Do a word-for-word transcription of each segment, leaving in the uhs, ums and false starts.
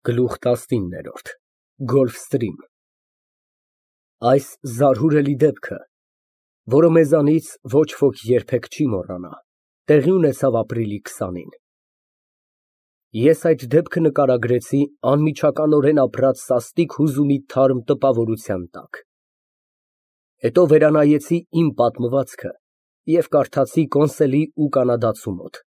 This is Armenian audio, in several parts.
Գլուխ տասնինը Գոլֆստրիմ Այս զարհուրելի դեպքը, որը մեզանից ոչ ոք երբեք չի մոռանա, տեղի ունեցավ ապրիլի քսանին։ Ես այդ դեպքը նկարագրեցի անմիջականորեն ապրած սաստիկ հուզումի թարմ տպավորության տակ։ Հետո վերանայեցի իմ պատմվածքը և կարդացի Կոնսելի ու կանադացու մոտ։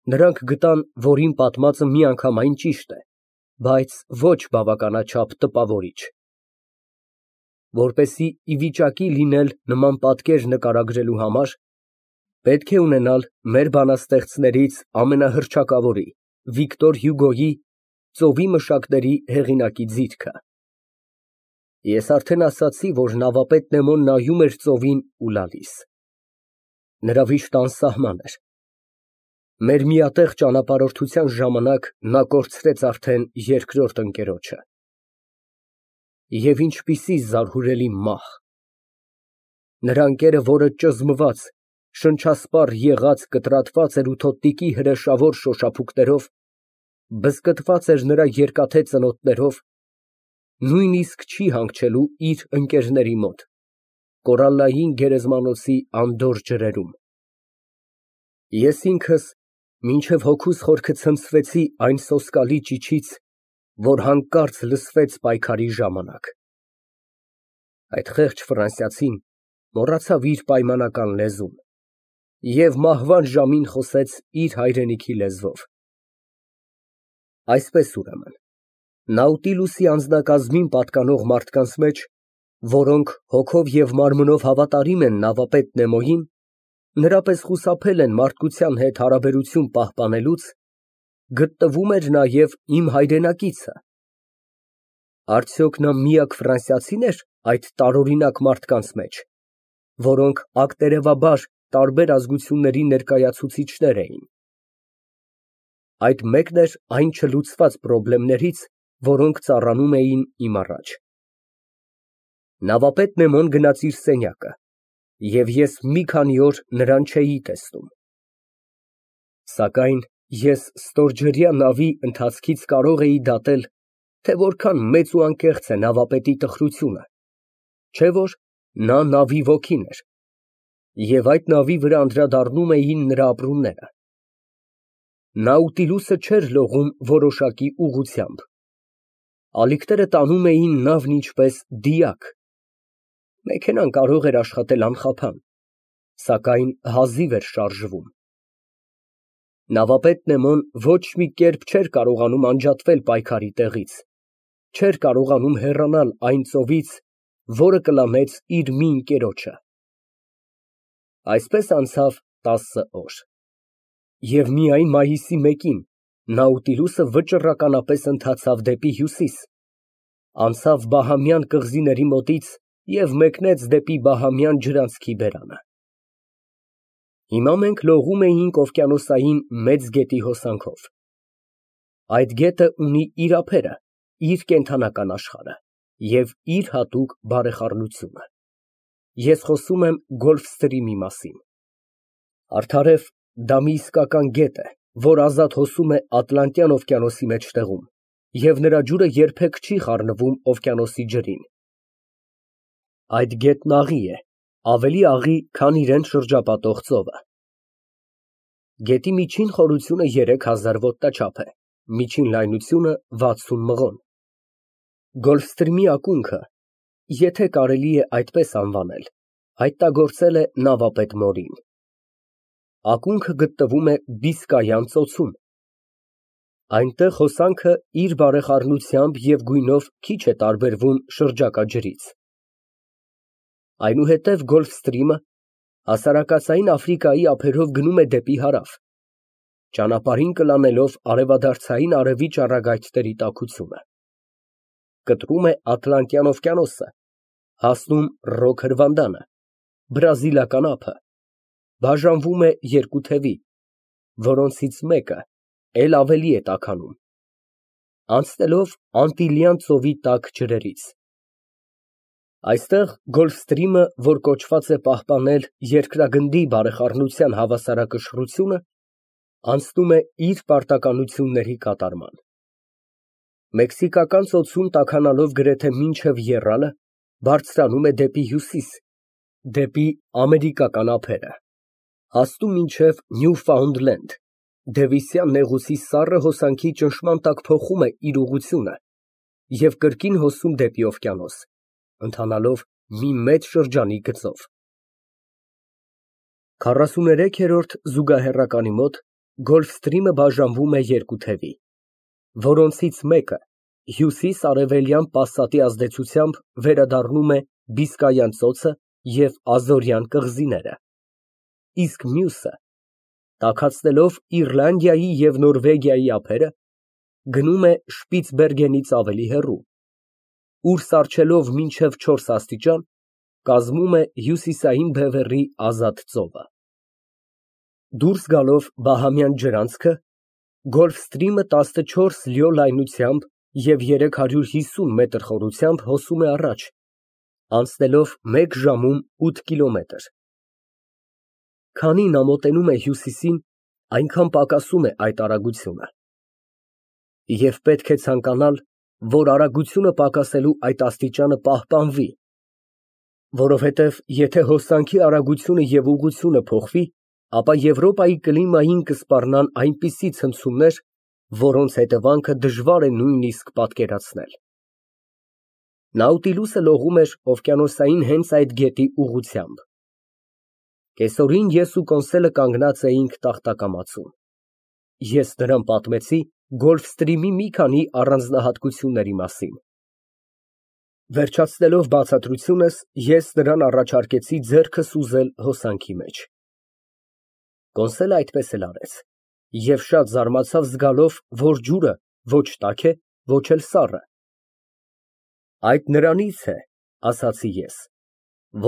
Նրանք գտան, որ իմ պատմածը միանգամայն ճիշտ է, բայց ոչ բավականաչափ տպավորիչ։ Որպեսզի ի վիճակի լինել նման պատկեր նկարագրելու համար, պետք է ունենալ մեր բանաստեղծներից ամենահռչակավորի՝ Վիկտոր Հյուգոյի «Ծովի մշակների» հեղինակի ձիրքը։ Ես արդեն ասացի, որ նավապետ Նեմոն նայում էր ծովին ու լալիս։ Նրա վիշտը անսահման էր։ Մեր միատեղ ճանապարհորդության ժամանակ նա կորցրեց արդեն երկրորդ ընկերոջը։ Եվ ինչպիսի զարհուրելի մահ։ Նրա ընկերը, որը ճզմված, շնչասպառ եղած կտրատված էր ութոտնիկի հրեշավոր շոշափուկներով, բզկտված էր նրա երկաթե ծնոտներով, նույնիսկ չի հանգչելու իր ընկերների մոտ, կորալլային գերեզմանոցի անդորր ջրերում։ Ես ինքս մինչև հոգուս խորքը ցնցվեցի այն սոսկալի ճիչից, որ հանկարծ լսվեց պայքարի ժամանակ։ Այդ խեղճ ֆրանսիացին մոռացավ իր պայմանական լեզուն և մահվան ժամին խոսեց իր հայրենիքի լեզվով։ Այսպես, ուրեմն, Նաուտիլուսի անձնակազմին պատկանող մարդկանց մեջ, որոնք հոգով և մարմնով հավատարիմ են նավապետ Նեմոյին, նրա պես խուսափել են մարդկության հետ հարաբերություն պահպանելուց, գտնվում էր նաև իմ հայրենակիցը։ Արդյոք նա միակ ֆրանսիացի՞ն էր այդ տարօրինակ մարդկանց մեջ, որոնք ակտերևաբար տարբեր ազգությունների ներկայացուցիչներ էին։ Այդ մեկն էր այն չլուծված խնդիրներից, որոնք ծառանում էին իմ առաջ։ Նավապետ Նեմոն գնաց իր սենյակը, և ես մի քանի օր նրան չէի տեսնում։ Սակայն ես ստորջրյա նավի ընթացքից կարող էի դատել, թե որքան մեծ ու անկեղծ է նավապետի տխրությունը, չէ՞ որ նա նավի ոգին էր, և այդ նավի վրա անդրադառնում էին նրա ապրումները։ Նաուտիլուսը չէր լողում որոշակի ուղղությամբ։ Ալիքները տանում էին նավն ինչպես դիակ։ Մեքենան կարող էր աշխատել անխափան, սակայն հազիվ էր շարժվում։ Նավապետ Նեմոն ոչ մի կերպ չէր կարողանում անջատվել պայքարի տեղից, չէր կարողանում հեռանալ այն ծովից, որը կլանեց իր մի ընկերոջը։ Այսպես անցավ տասը օր։ Եվ միայն մայիսի մեկին Նաուտիլուսը վճռականապես ընթացավ դեպի հյուսիս, անցավ Բահամյան կղզիների մոտից և մեկնեց դեպի Բահամյան ջրանցքի բերանը։ Հիմա մենք լողում էինք օվկիանոսային մեծ գետի հոսանքով։ Այդ գետը ունի իր ափերը, իր կենդանական աշխարհը և իր հատուկ բարեխառնությունը։ Ես խոսում եմ Գոլֆստրիմի մասին։ Արդարև, դա մի իսկական գետ է, որ ազատ հոսում է Ատլանտյան օվկիանոսի մեջտեղում, և նրա ջուրը երբեք չի խառնվում օվկիանոսի ջրին։ Այդ գետն աղի է, ավելի աղի, քան իրան շրջապատող ծովը։ Գետի միջին խորությունը երեք հազար ոտնաչափ է, միջին լայնությունը վաթսուն մղոն։ Գոլֆստրիմի ակունքը, եթե կարելի է այդպես անվանել, հայտնագործել է նավապետ Մորին։ Ակունքը գտնվում է Բիսկայան ծոցում։ Այնտեղ հոսանքը իր բարեխառնությամբ և գույնով քիչ է տարբերվում շրջակա ջրից։ Այնուհետև Գոլֆստրիմը հասարակածային Աֆրիկայի ափերով գնում է դեպի հարավ, ճանապարհին կլանելով արևադարձային արևի ճառագայթների տաքությունը։ Կտրում է Ատլանտյան օվկիանոսը, հասնում Ռոք հրվանդանը, Բրազիլական ափը, բաժանվում է երկու թևի, որոնցից մեկը էլ ավելի է տաքանում, անցնելով Անտիլյան ծովի տաք ջրերից։ Այստեղ Գոլֆստրիմը, որ կոչված է պահպանել երկրագնդի բարեխառնության հավասարակշռությունը, անցնում է իր պարտականությունների կատարման։ Մեքսիկական ծոցում տաքանալով գրեթե մինչև եռալը, բարձրանում է դեպի հյուսիս, դեպի ամերիկական ափերը, հասնում մինչև Նյուֆաունդլենդ, Դևիսյան նեղուցի սառը հոսանքի ճնշման տակ փոխում է իր ուղղությունը և կրկին հոսում դեպի օվկիանոս, ընթանալով մի մեծ շրջանի գծով։ քառասուներեքերորդ զուգահեռականի մոտ Գոլֆստրիմը բաժանվում է երկու թևի, որոնցից մեկը հյուսիս֊արևելյան պասատի ազդեցությամբ վերադառնում է Բիսկայան ծոցը և Ազորյան կղզիները, իսկ մյուսը, տաքացնելով Իռլանդիայի և Նորվեգիայի ափերը, գնում է Շպիցբերգենից ավելի հեռու, ուր սառչելով մինչև չորս աստիճան, կազմում է հյուսիսային բևեռի ազատ ծովը։ Դուրս գալով Բահամյան ջրանցքը, Գոլֆստրիմը տասնչորս լյո լայնությամբ և երեք հարյուր հիսուն մետր խորությամբ հոսում է առաջ, անցնելով մեկ ժամում ութ կիլոմետր։ Քանին ամոտենում է հյուսիսին, այնքան պակասում է այդ արագությունը։ Եվ պետք է ցանկանալ, որ արագությունը պակասելու այդ աստիճանը պահպանվի, որովհետև եթե հոսանքի արագությունը և ուղղությունը փոխվի, ապա Եվրոպայի կլիմային կսպառնան այնպիսի ցնցումներ, որոնց հետևանքը դժվար է նույնիսկ պատկերացնել։ Նաուտիլուսը լողում էր օվկիանոսային հենց այդ գետի ուղղությամբ։ Կեսօրին ես ու Կոնսելը կանգնած էինք տախտակամածում։ Ես նրան պատմեցի Գոլֆստրիմի մի քանի առանձնահատկությունների մասին։ Վերջացնելով բացատրությունս, ես նրան առաջարկեցի ձեռքը սուզել հոսանքի մեջ։ Կոնսելը այդպես էլ արեց և շատ զարմացավ զգալով, որ ջուրը ոչ տաք է, ոչ էլ սառը։ Այդ նրանից է, ասացի ես,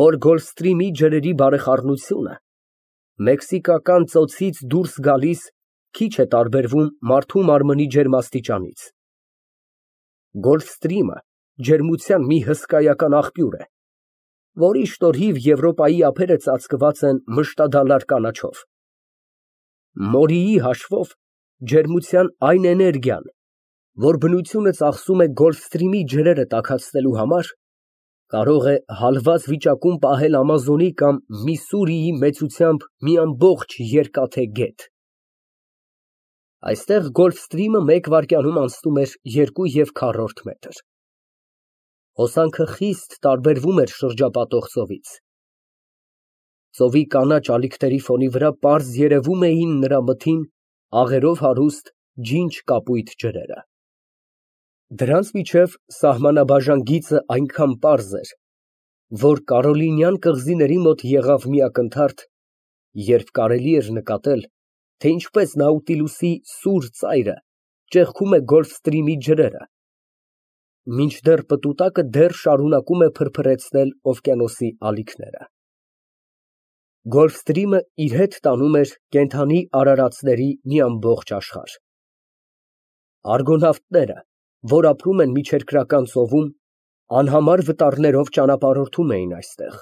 որ Գոլֆստրիմի ջրերի բարեխառնությունը Մեքսիկական ծոցից դուրս գալիս քիչ է տարբերվում մարդու մարմնի ջերմաստիճանից։ Գոլֆստրիմը ջերմության մի հսկայական աղբյուր է, որի շնորհիվ Եվրոպայի ափերը ծածկված են մշտադալար կանաչով։ Մորիի հաշվով ջերմության այն էներգիան, որ բնությունը ծախսում է Գոլֆստրիմի ջրերը տաքացնելու համար, կարող է հալված վիճակում պահել Ամազոնի կամ Միսսուրիի մեծությամբ մի ամբողջ երկաթե գետ։ Այստեղ Գոլֆստրիմը մեկ վայրկյանում անցնում էր երկու և քառորդ մետր։ Հոսանքը խիստ տարբերվում էր շրջապատող ծովից։ Ծովի կանաչ ալիքների ֆոնի վրա պարզ երևում էին նրա մթին, աղերով հարուստ ջինջ կապույտ ջրերը։ Դրանց միջև սահմանաբաժան գիծը այնքան պարզ էր, որ Կարոլինյան կղզիների մոտ եղավ մի ակնթարթ, երբ կարելի էր նկատել, թե ինչպես Նաուտիլուսի սուր ծայրը ճեղքում է Գոլֆստրիմի ջրերը, մինչդեռ պտուտակը դեռ շարունակում է փրփրեցնել օվկիանոսի ալիքները։ Գոլֆստրիմը իր հետ տանում էր կենդանի արարածների մի ամբողջ աշխարհ։ Արգոնավտները, որ ապրում են միջերկրական ծովում, անհամար վտարներով ճանապարհորդում էին այստեղ։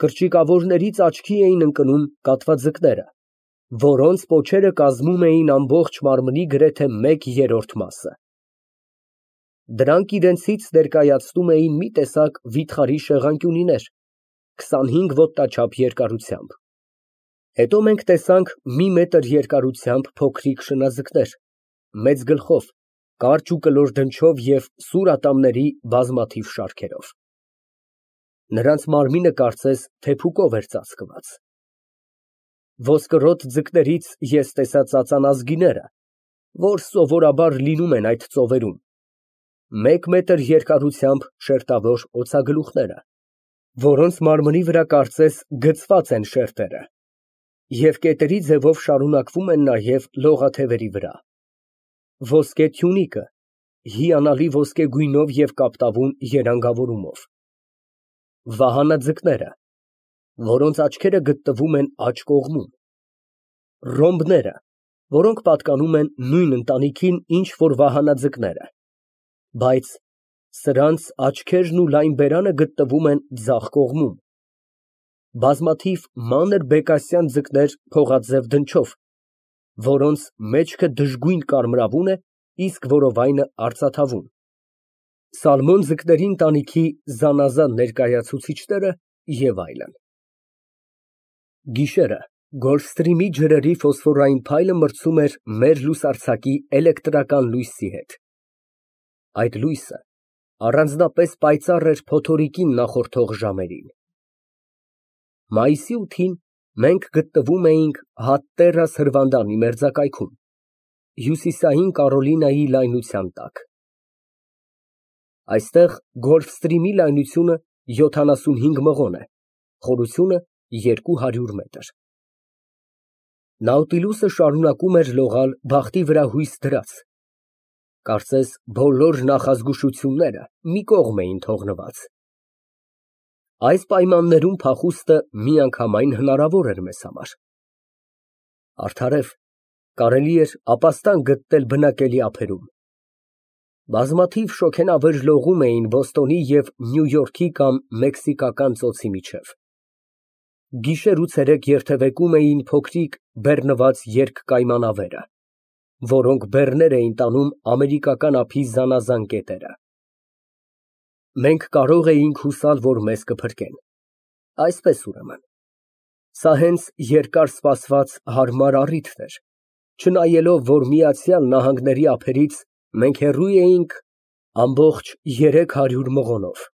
Կրճիկավորներից աչքի էին ընկնում կատվաձկները, որոնց պոչերը կազմում էին ամբողջ մարմնի գրեթե մեկ երրորդ մասը։ Դրանք իրենցից ներկայացնում էին մի տեսակ վիթխարի շեղանկյունիներ, քսանհինգ ոտնաչափ երկարությամբ։ Հետո մենք տեսանք մի մետր երկարությամբ փոքրիկ շնաձկներ, մեծ գլխով, կարճ ու կլոր դնչով և սուր ատամների բազմաթիվ շարքերով։ Նրանց մարմինը կարծես թեփուկով էր ծածկված։ Ոսկրոտ ձկներից ես տեսա ծածանազգիները, որ սովորաբար լինում են այդ ծովերում, մեկ մետր երկարությամբ շերտավոր օձագլուխները, որոնց մարմնի վրա կարծես գծված են շերտերը, և կետերի ձևով շարունակվում են նաև լողաթևերի վրա։ Ոսկե թյունիկը, հիանալի ոսկե գույնով և կապտավուն երանգավորումով։ Վահանաձկները, որոնց աչքերը գտնվում են աջ կողմում։ Ռոմբները, որոնք պատկանում են նույն ընտանիքին, ինչ որ վահանաձկները, բայց սրանց աչքերն ու լայն բերանը գտնվում են ձախ կողմում։ Բազմաթիվ մանր բեկասյան ձկներ փողաձև դնչով, որոնց մեջքը դժգույն կարմրավուն է, իսկ որովայնը արծաթավուն։ Սալմոն ձկների ընտանիքի զանազան ներկայացուցիչները և այլն։ Գիշերը Գոլֆստրիմի ջրերի ֆոսֆորային փայլը մրցում էր մեր լուսարձակի էլեկտրական լույսի հետ։ Այդ լույսը առանձնապես պայծառ էր փոթորիկին նախորդող ժամերին։ Մայիսի ութին մենք գտնվում էինք Հատտերրաս հրվանդանի մերձակայքում, հյուսիսային Կարոլինայի լայնության տակ։ Այստեղ Գոլֆստրիմի լայնությունը յոթանասունհինգ մղոն է, խորությունը երկու հարյուր մետր։ Նաուտիլուսը շարունակում էր լողալ բախտի վրա հույս դրած, կարծես բոլոր նախազգուշությունները մի կողմ էին թողնված։ Այս պայմաններում փախուստը միանգամայն հնարավոր էր մեզ համար։ Արդարև, կարելի էր ապաստան գտնել բնակելի ափերում։ Բազմաթիվ շոգենավեր լողում էին Բոստոնի և Նյու Յորքի կամ մեքսիկական ծոցի միջև։ Գիշեր ու ցերեկ երթևեկում էին փոքրիկ բեռնված երկկայմանավերը, որոնք բեռներ էին տանում ամերիկական ափի զանազան կետերը։ Մենք կարող էինք հուսալ, որ մեզ կփրկեն։ Այսպես ուրեմն, սա հենց երկար սպասված հարմար առիթն էր, չնայելով, որ Միացյալ Նահանգների ափերից մենք հեռու էինք ամբողջ երեք հարյուր մղոնով։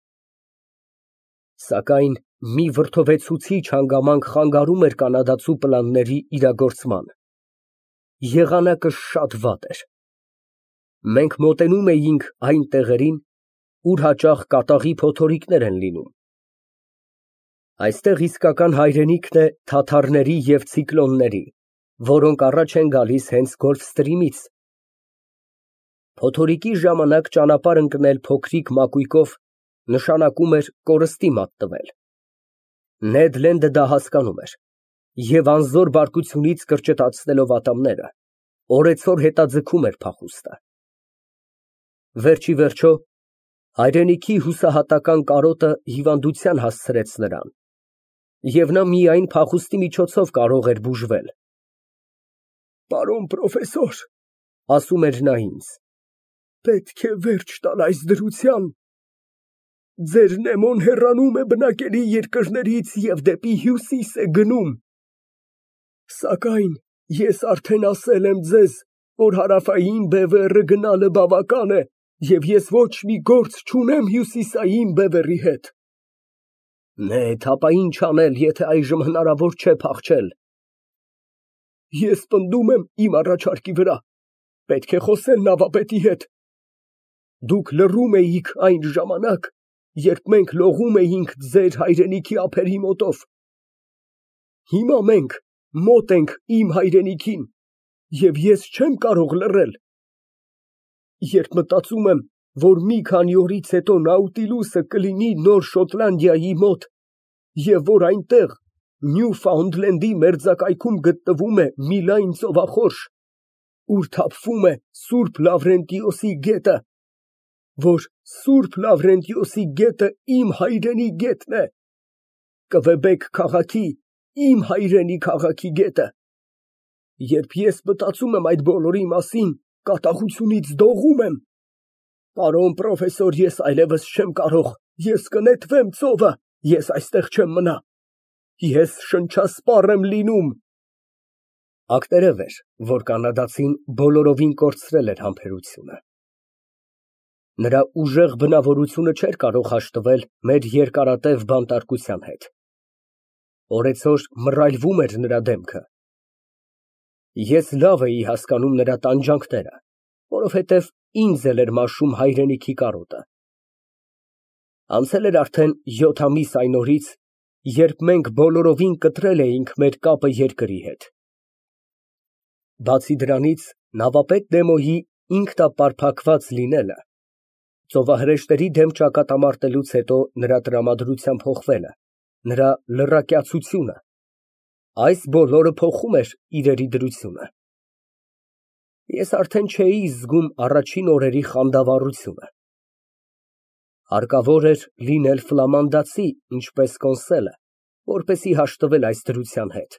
Սակայն մի վրդովեցուցիչ հանգամանք խանգարում էր կանադացու պլանների իրագործման։ Եղանակը շատ վատ էր։ Մենք մոտենում էինք այն տեղերին, ուր հաճախ կատաղի փոթորիկներ են լինում։ Այստեղ իսկական հայրենիքն է թաթարների և ցիկլոնների, որոնք առաջ են գալիս հենց Գոլֆստրիմից։ Փոթորիկի ժամանակ ճանապարհ ընկնել փոքրիկ մակույկով նշանակում էր կորստի մատնվել։ Նեդ Լենդը դա հասկանում էր և անզոր բարկությունից կրճտացնելով ատամները, օրեցօր հետաձգում էր փախուստը։ Վերջ ի վերջո, հայրենիքի հուսահատական կարոտը հիվանդության հասցրեց նրան, և նա միայն փախուստի միջոցով կարող էր բուժվել։ «Պարոն պրոֆեսոր, ֊ ասում էր նա ինձ, ֊ պետք է վերջ տալ այս դրության։ Ձեր Նեմոն հեռանում է բնակելի երկրներից և դեպի հյուսիս է գնում։ Սակայն ես արդեն ասել եմ ձեզ, որ հարավային բևեռը գնալը բավական է, և ես ոչ մի գործ չունեմ հյուսիսային բևեռի հետ։ Նեթ, ապա ինչ անել, եթե այժմ հնարավոր չէ փախչել։ Ես պնդում եմ իմ առաջարկի վրա, պետք է խոսել նավապետի հետ։ Դուք լռում էիք այն ժամանակ, երբ մենք լողում էինք ձեր հայրենիքի ափերի մոտով։ Հիմա մենք մոտ ենք իմ հայրենիքին, և ես չեմ կարող լռել։ Երբ մտածում եմ, որ մի քանի օրից հետո Նաուտիլուսը կլինի Նոր Շոտլանդիայի մոտ, և որ այնտեղ Նյուֆաունդլենդի մերձակայքում գտնվում է մի լայն ծովախորշ, ուր թափվում է Սուրբ Լավրենտիոսի գետը, որ Սուրբ Լավրենտիոսի գետը իմ հայրենի գետն է, Կվեբեկ քաղաքի, իմ հայրենի քաղաքի գետը, երբ ես մտածում եմ այդ բոլորի մասին, կատաղությունից դողում եմ։ Պարոն պրոֆեսոր, ես այլևս չեմ կարող, ես կնետվեմ ծովը, ես այստեղ չեմ մնա, ես շնչասպառ եմ լինում։ Ակտերև էր, որ կանադացին բոլորովին կորցրել էր համբերությունը։ Նրա ուժեղ բնավորությունը չէր կարող հաշտվել մեր երկարատև բանտարկության հետ։ Օրեցօր մռայլվում էր նրա դեմքը։ Ես լավ էի հասկանում նրա տանջանքները, որովհետև ինձ էլ էր մաշում հայրենիքի կարոտը։ Անցել էր արդեն յոթ ամիս այն օրից, երբ մենք բոլորովին կտրել էինք մեր կապը երկրի հետ։ Բացի դրանից, նավապետ Նեմոյի ինքնապարփակված լինելը, ծովահրեշտերի դեմ ճակատամարտելուց հետո նրա տրամադրության փոխվելը, նրա լռակյացությունը, այս բոլորը փոխում էր իրերի դրությունը։ Ես արդեն չէի զգում առաջին օրերի խանդավառությունը։ Հարկավոր էր լինել ֆլամանդացի, ինչպես Կոնսելը, որպեսզի հաշտվել այս դրության հետ,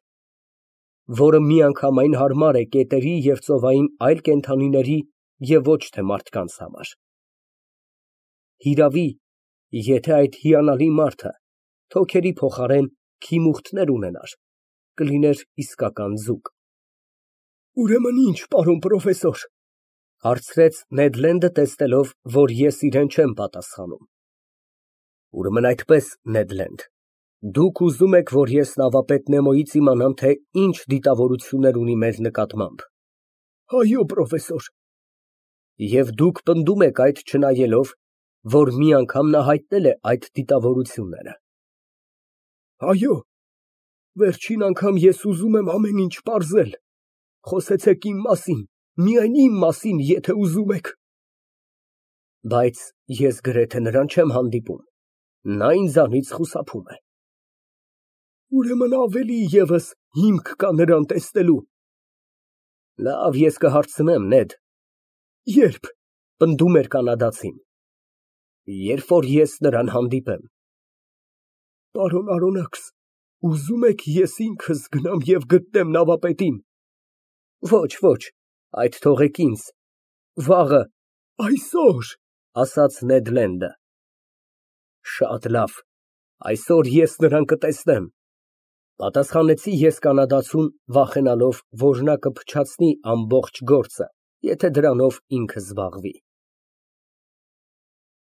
որը միանգամայն հարմար է կետերի և ծովային այլ կենդանիների և ոչ թե մարդկանց համար։ Հիրավի, եթե այդ հիանալի մարդը թոքերի փոխարեն քիմուխտներ ունենար, կլիներ իսկական ձուկ։ Ուրեմն ի՞նչ, պարոն պրոֆեսոր, հարցրեց Նեդ Լենդը, տեսնելով, որ ես իրան չեմ պատասխանում։ Ուրեմն այդպես, Նեդ Լենդ, դուք ուզում եք, որ ես նավապետ Նեմոյից իմանամ, թե ինչ դիտավորություններ ունի մեր նկատմամբ։ Այո, պրոֆեսոր։ Եվ դուք պնդում եք այդ չնայելով, որ մի անգամ նա հայտնել է այդ դիտավորությունները։ Այո, վերջին անգամ ես ուզում եմ ամեն ինչ պարզել, խոսեցեք իմ մասին, միայն իմ մասին, եթե ուզում եք։ Բայց ես գրեթե նրան չեմ հանդիպում, նա ինձանից խուսափում է։ Ուրեմն ավելի ևս հիմք կա նրան տեսնելու։ Լավ, ես կհարցնեմ, Նեդ։ Ե՞րբ, պնդում էր կանադացին։ Երբ որ ես նրան հանդիպեմ։ Պարոն Արոնաքս, ուզում եք ես ինքս գնամ և գտնեմ նավապետին։ Ոչ, ոչ, այդ թողեք ինձ, վաղը, այսօր, ասաց Նեդ Լենդը։ Շատ լավ, այսօր ես նրան կտեսնեմ, պատասխանեցի ես կանադացուն, վախենալով, որ նա կփչացնի ամբողջ գործը, եթե դրանով ինքը զբաղվի։